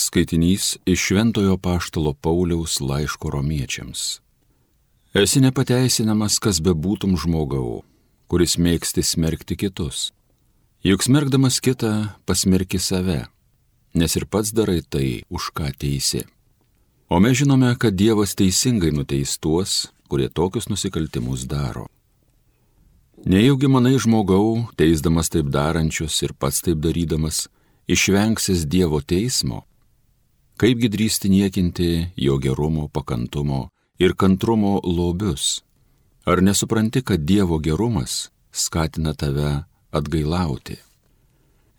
Skaitinys iš Šventojo Apaštalo Pauliaus laiško Romiečiams. Esi nepateisinamas, kas bebūtum žmogau, kuris mėgsti smerkti kitus. Juk smerkdamas kitą pasmerki save, nes ir pats darai tai, už ką teisi. O mes žinome, kad Dievas teisingai nuteis tuos, kurie tokius nusikaltimus daro. Nejaugi manai žmogau, teisdamas taip darančius ir pats taip darydamas, išvengsis Dievo teismo? Kaipgi drįsti niekinti jo gerumo, pakantumo ir kantrumo lobius? Ar nesupranti, kad Dievo gerumas skatina tave atgailauti?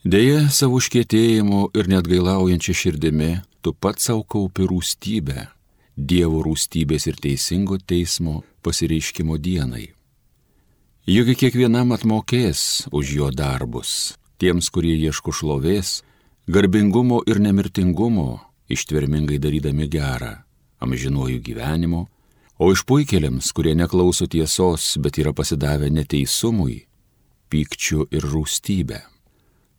Deja, savo užkietėjimu ir neatgailaujančia širdimi tu pats savo kaupi rūstybę, Dievo rūstybės ir teisingo teismo pasireiškimo dienai. Juk kiekvienam atmokės už jo darbus, tiems, kurie ieško šlovės, garbingumo ir nemirtingumo, ištvermingai darydami gerą, amžinuoju gyvenimu, o išpuikėliams, kurie neklauso tiesos, bet yra pasidavę neteisumui, pykčiu ir rūstybę.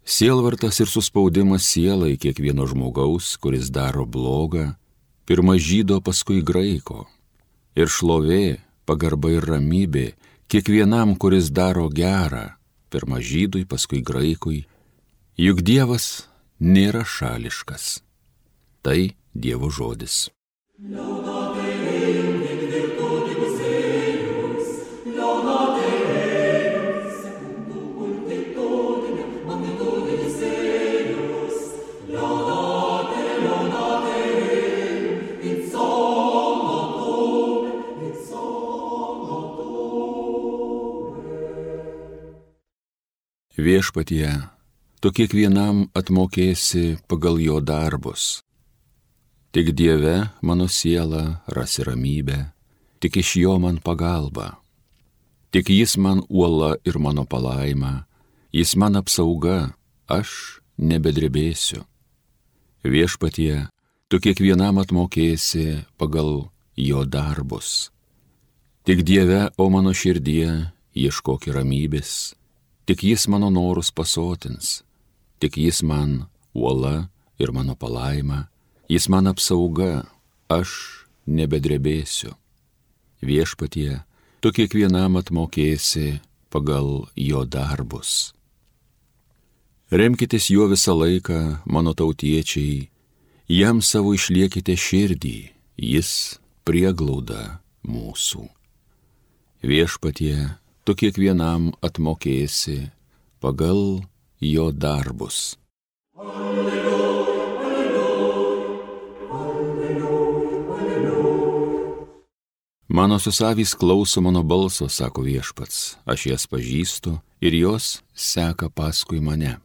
Sielvartas ir suspaudimas sielai kiekvieno žmogaus, kuris daro blogą, pirma žydo, paskui graiko. Ir šlovė, pagarba ir ramybė kiekvienam, kuris daro gerą, pirma žydui, paskui graikui. Juk Dievas nėra šališkas. Tai Dievo žodis. Viešpatie, tu kiekvienam atmokėsi pagal jo darbus. Tik Dieve mano siela rasi ramybę, tik iš jo man pagalba. Tik jis man uola ir mano palaima, jis man apsauga, aš nebedrebėsiu. Viešpatie, tu kiekvienam atmokėsi pagal jo darbus. Tik Dieve, o mano širdie, ieškok ramybės, tik jis mano norus pasotins, tik jis man uola ir mano palaima, jis man apsauga, aš nebedrebėsiu. Viešpatie, tu kiekvienam atmokėsi pagal jo darbus. Remkitės juo visą laiką, mano tautiečiai, jam savo išliekite širdį, jis prieglauda mūsų. Viešpatie, tu kiekvienam atmokėsi pagal jo darbus. Manosios avys klauso mano balso, sako Viešpats, aš jas pažįstu ir jos seka paskui mane.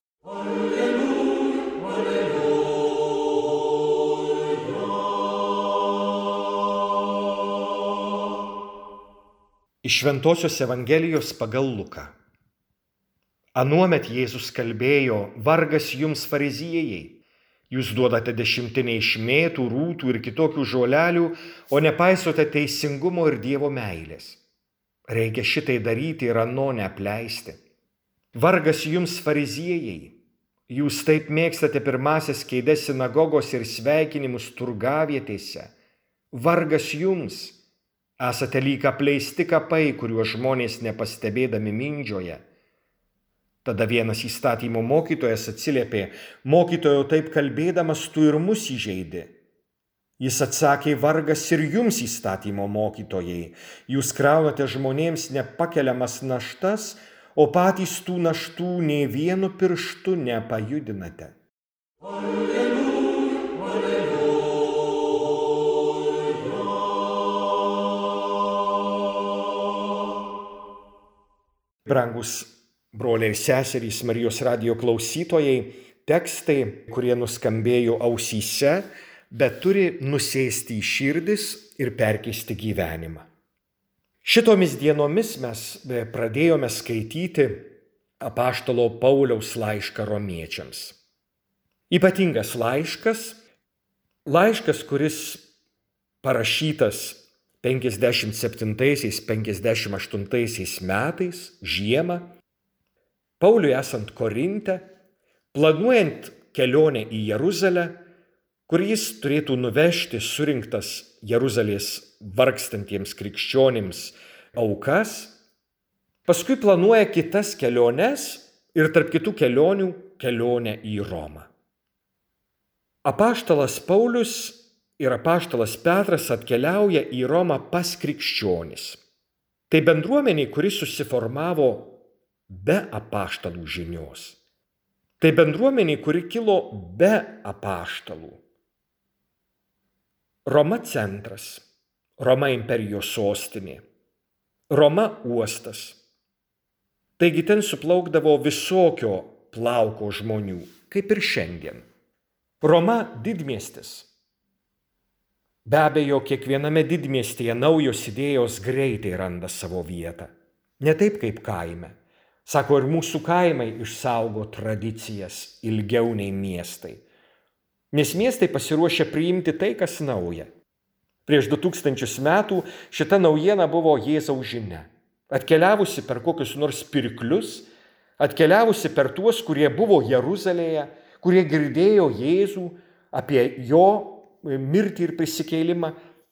Iš Šventosios Evangelijos pagal Luką. Anuomet Jėzus kalbėjo: vargas jums fariziejai, jūs duodate dešimtinę iš mėtų, rūtų ir kitokių žolelių, o nepaisote teisingumo ir Dievo meilės. Reikia šitai daryti ir ano neapleisti. Vargas jums fariziejai, jūs taip mėgstate pirmasias kėdes sinagogos ir sveikinimus turgavietėse. Vargas jums, esate lyg apleisti kapai, kuriuos žmonės nepastebėdami mindžioja. Tada vienas įstatymo mokytojas atsiliepė: mokytojau, taip kalbėdamas tu ir mus įžeidi. Jis atsakė: vargas ir jums, įstatymo mokytojai, jūs kraunate žmonėms nepakeliamas naštas, o patys tų naštų nė vienu pirštu nepajudinate. Brangus broliai ir seserys, Marijos radijo klausytojai, tekstai, kurie nuskambėjo ausyse, bet turi nusėsti į širdis ir perkeisti gyvenimą. Šitomis dienomis mes pradėjome skaityti apaštalo Pauliaus laišką Romiečiams. Ypatingas laiškas, kuris parašytas 57-58 metais, žiemą, Pauliui esant Korinte, planuojant kelionę į Jeruzalę, kur jis turėtų nuvežti surinktas Jeruzalės vargstantiems krikščionims aukas, paskui planuoja kitas keliones ir tarp kitų kelionių kelionę į Romą. Apaštalas Paulius ir apaštalas Petras atkeliauja į Romą pas krikščionis. Tai bendruomeniai, kuri susiformavo be apaštalų žinios. Tai bendruomeniai, kuri kilo be apaštalų. Roma centras, Roma imperijos sostinė, Roma uostas. Taigi ten suplaukdavo visokio plauko žmonių, kaip ir šiandien. Roma didmiestis. Be abejo, kiekviename didmiestyje naujos idėjos greitai randa savo vietą. Ne taip kaip kaime. Sako, ir mūsų kaimai išsaugo tradicijas ilgiau nei miestai. Nes miestai pasiruošia priimti tai, kas nauja. Prieš 2000 metų šita naujiena buvo Jėzaus žinia. Atkeliavusi per kokius nors pirklius, atkeliavusi per tuos, kurie buvo Jeruzalėje, kurie girdėjo Jėzų apie jo mirtį ir prisikėlimą,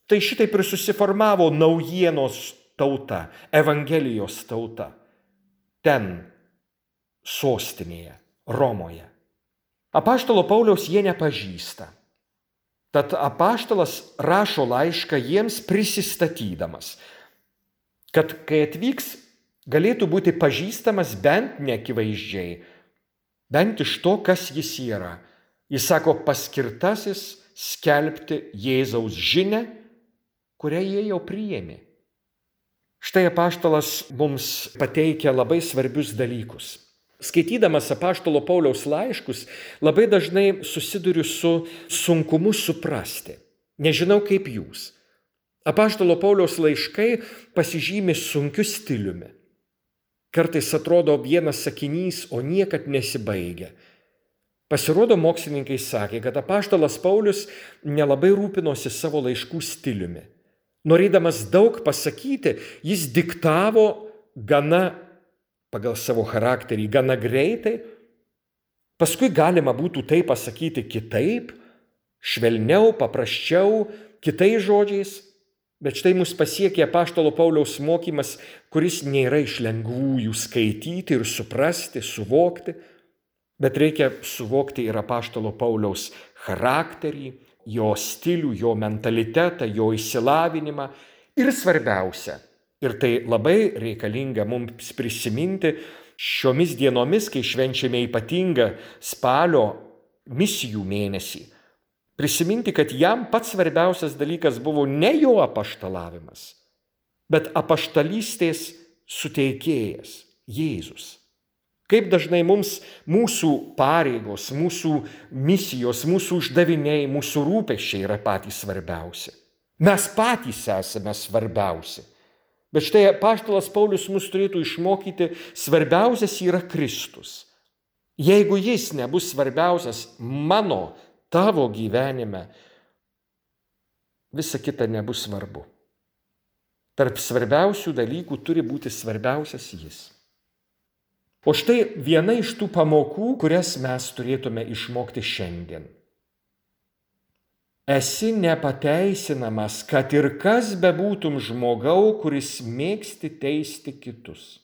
tai šitaip ir susiformavo naujienos tauta, Evangelijos tauta. Ten, sostinėje, Romoje. Apaštalo Pauliaus jie nepažįsta. Tad apaštalas rašo laišką jiems prisistatydamas, kad kai atvyks, galėtų būti pažįstamas bent neakivaizdžiai, bent iš to, kas jis yra. Jis sako, paskirtasis skelbti Jėzaus žinią, kurią jie jau priėmė. Štai apaštalas mums pateikia labai svarbius dalykus. Skaitydamas apaštalo Pauliaus laiškus, labai dažnai susiduriu su sunkumu suprasti. Nežinau kaip jūs. Apaštalo Pauliaus laiškai pasižymi sunkiu stiliumi. Kartais atrodo vienas sakinys, o niekad nesibaigia. Pasirodo, mokslininkai sakė, kad apaštalas Paulius nelabai rūpinosi savo laiškų stiliumi. Norėdamas daug pasakyti, jis diktavo pagal savo charakterį gana greitai. Paskui galima būtų tai pasakyti kitaip, švelniau, paprasčiau, kitais žodžiais. Bet štai mus pasiekė apaštalo Pauliaus mokymas, kuris nėra iš lengvųjų skaityti ir suprasti, suvokti. Bet reikia suvokti ir apaštalo Pauliaus charakterį, jo stilių, jo mentalitetą, jo išsilavinimą. Ir svarbiausia, ir tai labai reikalinga mums prisiminti šiomis dienomis, kai švenčiame ypatingą spalio misijų mėnesį. Prisiminti, kad jam pats svarbiausias dalykas buvo ne jo apaštalavimas, bet apaštalystės suteikėjas, Jėzus. Kaip dažnai mums mūsų pareigos, mūsų misijos, mūsų uždaviniai, mūsų rūpesčiai yra patys svarbiausi. Mes patys esame svarbiausi. Bet štai apaštalas Paulius mus turėtų išmokyti, svarbiausias yra Kristus. Jeigu jis nebus svarbiausias tavo gyvenime, visa kita nebus svarbu. Tarp svarbiausių dalykų turi būti svarbiausias jis. O štai viena iš tų pamokų, kurias mes turėtume išmokti šiandien. Esi nepateisinamas, kad ir kas bebūtum žmogau, kuris mėgsti teisti kitus.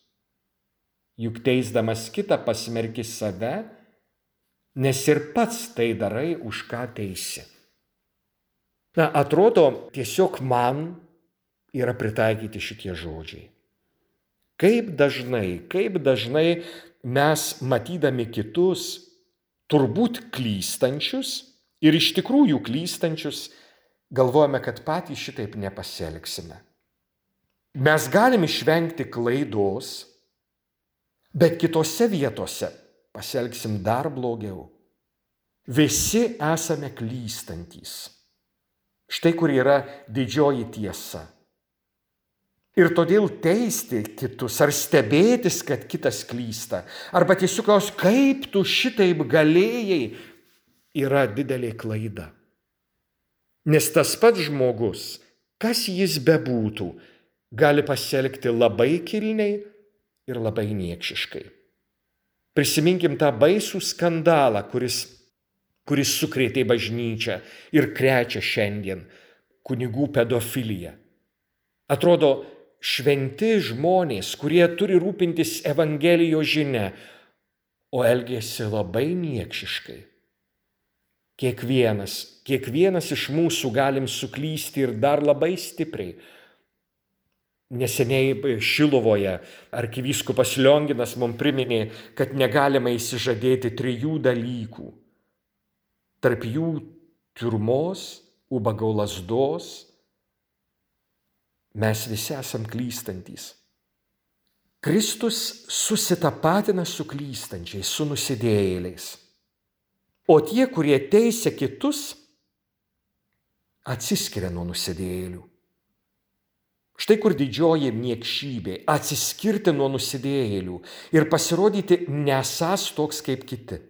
Juk teisdamas kitą pasmerki save, nes ir pats tai darai, už ką teisi. Atrodo, tiesiog man yra pritaikyti šitie žodžiai. Kaip dažnai mes, matydami kitus, turbūt klystančius ir iš tikrųjų klystančius, galvojame, kad patys šitaip nepasielgsime. Mes galime išvengti klaidos, bet kitose vietose pasielgsim dar blogiau. Visi esame klystantys. Štai kur yra didžioji tiesa. Ir todėl teisti kitus ar stebėtis, kad kitas klysta, arba tiesiog klausti, kaip tu šitaip galėjai, yra didelė klaida. Nes tas pats žmogus, kas jis bebūtų, gali pasielgti labai kilniai ir labai niekšiškai. Prisiminkim tą baisų skandalą, kuris kuris sukrėtė bažnyčią ir krečia šiandien kunigų pedofiliją. Atrodo, šventi žmonės, kurie turi rūpintis Evangelijos žinia, o elgėsi labai niekšiškai. Kiekvienas iš mūsų galim suklysti ir dar labai stipriai. Neseniai Šiluvoje arkivyskupas Lionginas mums priminė, kad negalima įsižadėti 3 dalykų. Tarp jų tiurmos, ubago lazdos. Mes visi esam klystantys. Kristus susitapatina su klystančiais, su nusidėjėliais. O tie, kurie teisia kitus, atsiskiria nuo nusidėjėlių. Štai kur didžioji niekšybė - atsiskirti nuo nusidėjėlių ir pasirodyti nesąs toks kaip kiti.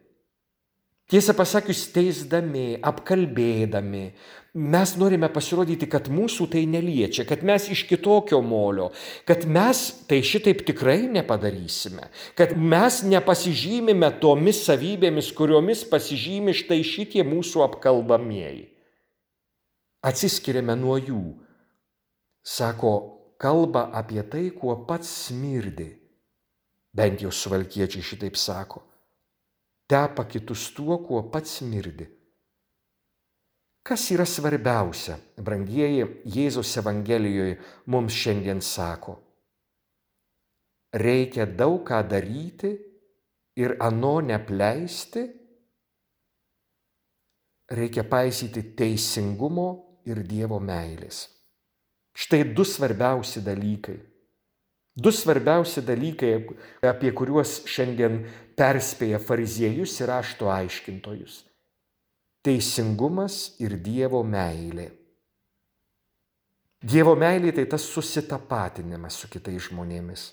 Tiesą pasakius, teisdami, apkalbėdami, mes norime pasirodyti, kad mūsų tai neliečia, kad mes iš kitokio molio, kad mes tai šitaip tikrai nepadarysime, kad mes nepasižymime tomis savybėmis, kuriomis pasižymi štai šitie mūsų apkalbamieji. Atsiskiriame nuo jų. Sako, kalba apie tai, kuo pats smirdi. Bent jau suvalkiečiai šitaip sako. Tepa kitus tuo, kuo pats smirdi. Kas yra svarbiausia, brangieji, Jėzaus Evangelijoje mums šiandien sako? Reikia daug ką daryti ir ano neapleisti. Reikia paisyti teisingumo ir Dievo meilės. Štai 2 svarbiausi dalykai. 2 svarbiausi dalykai, apie kuriuos šiandien perspėja fariziejus ir rašto aiškintojus. Teisingumas ir Dievo meilė. Dievo meilė tai tas susitapatinimas su kitais žmonėmis.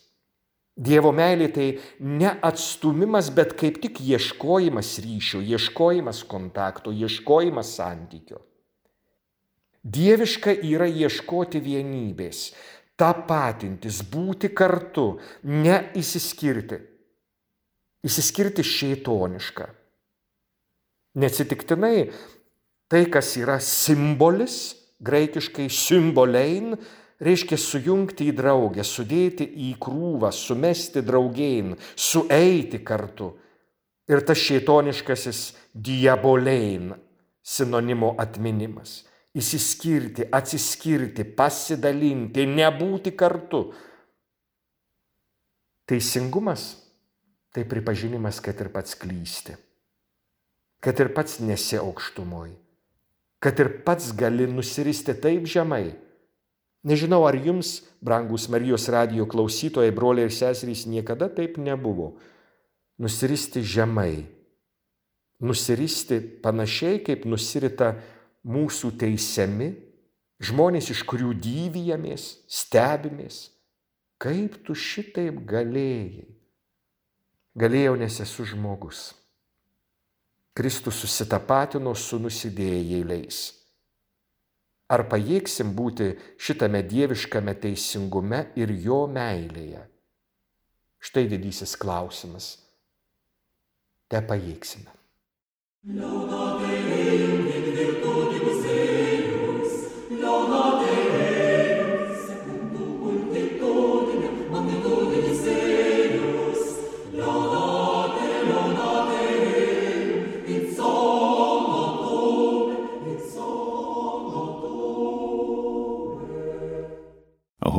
Dievo meilė tai ne atstumimas, bet kaip tik ieškojimas ryšio, ieškojimas kontakto, ieškojimas santykio. Dieviška yra ieškoti vienybės, tapatintis, būti kartu, neįsiskirti. Įsiskirti šėtoniška. Neatsitiktinai tai, kas yra simbolis, graikiškai symbolein, reiškia sujungti į draugę, sudėti į krūvą, sumesti draugėn, sueiti kartu. Ir tas šėtoniškasis diabolein sinonimo atminimas. Įsiskirti, atsiskirti, pasidalinti, nebūti kartu. Teisingumas tai pripažinimas, kad ir pats klysti, kad ir pats nesi aukštumoj, kad ir pats gali nusiristi taip žemai. Nežinau, ar jums, brangūs Marijos radijo klausytojai, broliai ir seserys, niekada taip nebuvo. Nusiristi žemai, nusiristi panašiai, kaip nusirita mūsų teisiami, žmonės, iš kurių dyvijamės, stebimės. Kaip tu šitaip galėjai? Galėjau, nes esu žmogus. Kristus susitapatino su nusidėjėliais. Ar pajėgsim būti šitame dieviškame teisingume ir jo meilėje? Štai didysis klausimas. Te pajėgsime.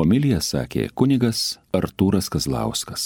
Homiliją sakė kunigas Artūras Kazlauskas.